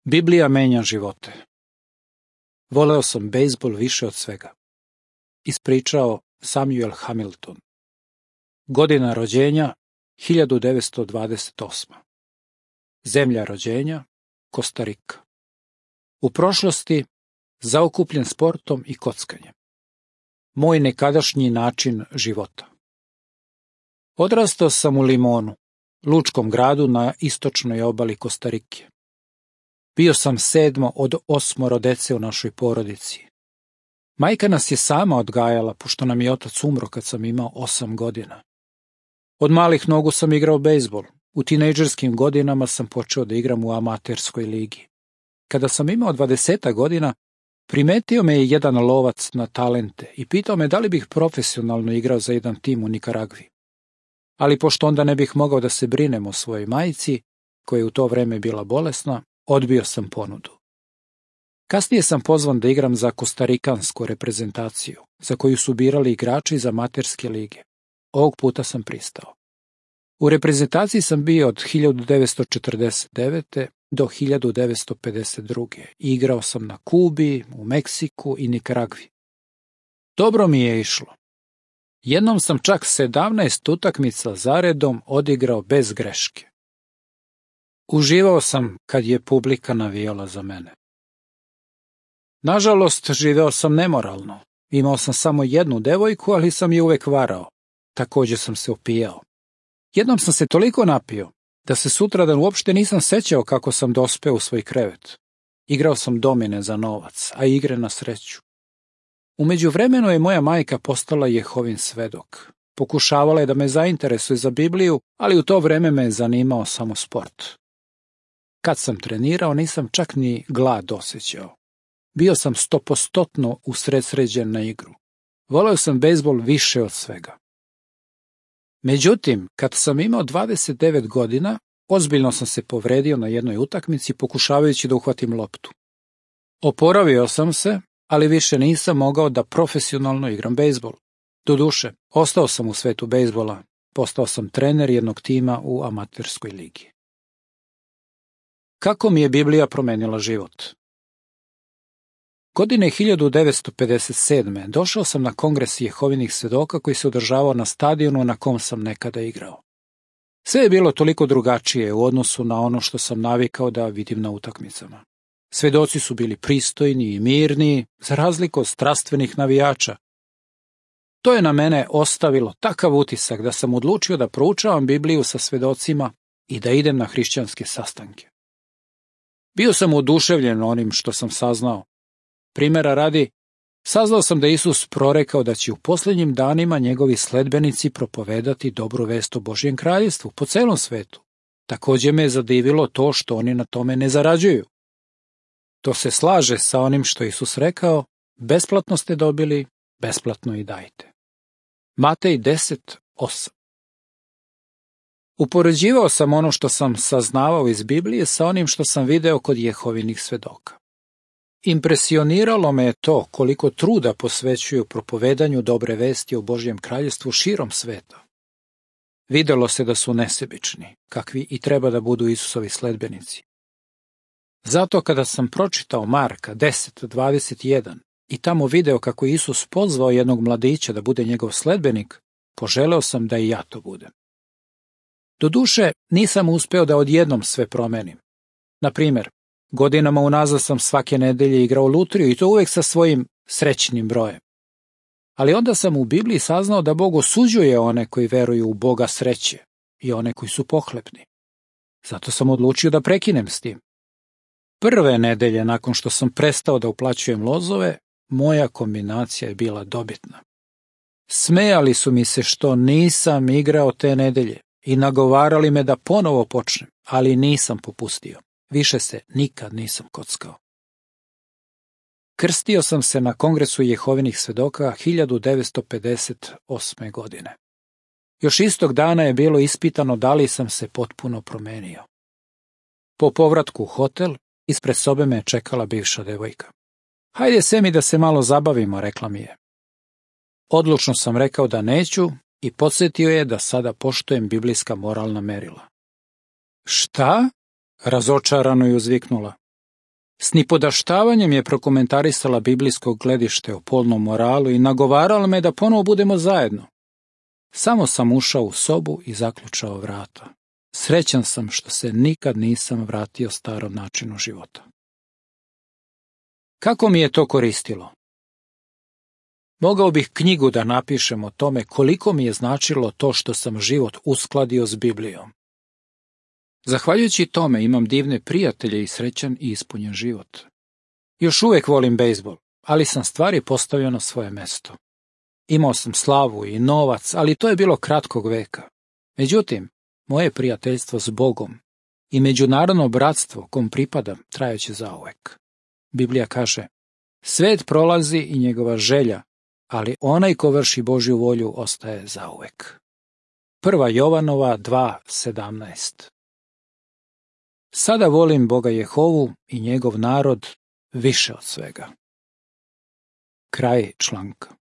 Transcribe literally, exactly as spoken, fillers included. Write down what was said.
Biblija menja živote. Voleo sam bejzbol više od svega. Ispričao Samuel Hamilton. Godina rođenja hiljadu devetsto dvadeset osma. Zemlja rođenja Kostarika. U prošlosti zaokupljen sportom i kockanjem. Moj nekadašnji način života. Odrastao sam u Limonu, lučkom gradu na istočnoj obali Kostarike. Bio sam sedmo od osmoro dece u našoj porodici. Majka nas je sama odgajala, pošto nam je otac umro kad sam imao osam godina. Od malih nogu sam igrao bejzbol. U tinejdžerskim godinama sam počeo da igram u amaterskoj ligi. Kada sam imao dvadeset godina, primetio me je jedan lovac na talente i pitao me da li bih profesionalno igrao za jedan tim u Nikaragvi. Ali pošto onda ne bih mogao da se brinem o svojoj majci, koja je u to vreme bila bolesna, odbio sam ponudu. Kasnije sam pozvan da igram za kostarikansku reprezentaciju, za koju su birali igrači iz amaterske lige. Ovog puta sam pristao. U reprezentaciji sam bio od hiljadu devetsto četrdeset devete. do hiljadu devetsto pedeset druge. Igrao sam na Kubi, u Meksiku i Nikaragvi. Dobro mi je išlo. Jednom sam čak sedamnaest utakmica zaredom odigrao bez greške. Uživao sam kad je publika navijala za mene. Nažalost, živeo sam nemoralno. Imao sam samo jednu devojku, ali sam je uvek varao. Također sam se opijao. Jednom sam se toliko napio da se sutradan uopšte nisam sećao kako sam dospeo u svoj krevet. Igrao sam domine za novac, a igre na sreću. U međuvremenu je moja majka postala Jehovin svedok. Pokušavala je da me zainteresuje za Bibliju, ali u to vreme me je zanimao samo sport. Kad sam trenirao, nisam čak ni glad osjećao. Bio sam stopostotno usredsređen na igru. Voleo sam bejzbol više od svega. Međutim, kad sam imao dvadeset devet godina, ozbiljno sam se povredio na jednoj utakmici pokušavajući da uhvatim loptu. Oporavio sam se, ali više nisam mogao da profesionalno igram bejzbol. Doduše, ostao sam u svetu bejzbola, postao sam trener jednog tima u amaterskoj ligi. Kako mi je Biblija promenila život? Godine hiljadu devetsto pedeset sedme. došao sam na kongres Jehovinih svedoka koji se održavao na stadionu na kom sam nekada igrao. Sve je bilo toliko drugačije u odnosu na ono što sam navikao da vidim na utakmicama. Svedoci su bili pristojni i mirni, za razliku od strastvenih navijača. To je na mene ostavilo takav utisak da sam odlučio da proučavam Bibliju sa svedocima i da idem na hrišćanske sastanke. Bio sam oduševljen onim što sam saznao. Primera radi, saznao sam da je Isus prorekao da će u posljednjim danima njegovi sledbenici propovedati dobru vest o Božjem kraljevstvu po celom svetu. Također me je zadivilo to što oni na tome ne zarađuju. To se slaže sa onim što je Isus rekao, besplatno ste dobili, besplatno i dajte. Matej deset osam. Upoređivao sam ono što sam saznavao iz Biblije sa onim što sam video kod Jehovinih svedoka. Impresioniralo me je to koliko truda posvećuju propovedanju dobre vesti o Božjem kraljevstvu širom sveta. Videlo se da su nesebični, kakvi i treba da budu Isusovi sledbenici. Zato kada sam pročitao Marka deset dvadeset jedan i tamo video kako je Isus pozvao jednog mladića da bude njegov sledbenik, poželeo sam da i ja to budem. Doduše, nisam uspeo da odjednom sve promenim. Na primjer, godinama unazad sam svake nedelje igrao lutriju i to uvek sa svojim srećnim brojem. Ali onda sam u Bibliji saznao da Bog osuđuje one koji veruju u Boga sreće i one koji su pohlepni. Zato sam odlučio da prekinem s tim. Prve nedelje nakon što sam prestao da uplaćujem lozove, moja kombinacija je bila dobitna. Smejali su mi se što nisam igrao te nedelje i nagovarali me da ponovo počnem, ali nisam popustio. Više se nikad nisam kockao. Krstio sam se na kongresu Jehovinih svedoka hiljadu devetsto pedeset osme. godine. Još istog dana je bilo ispitano da li sam se potpuno promenio. Po povratku u hotel, ispred sobe me je čekala bivša devojka. Hajde se mi da se malo zabavimo, rekla mi je. Odlučno sam rekao da neću i podsjetio je da sada poštujem biblijska moralna merila. Šta? Razočarano je uzviknula. S nipodaštavanjem je prokomentarisala biblijsko gledište o polnom moralu i nagovarala me da ponovo budemo zajedno. Samo sam ušao u sobu i zaključao vrata. Srećan sam što se nikad nisam vratio starom načinu života. Kako mi je to koristilo? Mogao bih knjigu da napišem o tome koliko mi je značilo to što sam život uskladio s Biblijom. Zahvaljujući tome imam divne prijatelje i srećan i ispunjen život. Još uvijek volim bejzbol, ali sam stvari postavio na svoje mesto. Imao sam slavu i novac, ali to je bilo kratkog veka. Međutim, moje prijateljstvo s Bogom i međunarodno bratstvo kom pripadam trajaće zauvek. Biblija kaže, svet prolazi i njegova želja, ali onaj ko vrši Božju volju ostaje zauvek. Prva Jovanova dva sedamnaest. Sada volim Boga Jehovu i njegov narod više od svega. Kraj članka.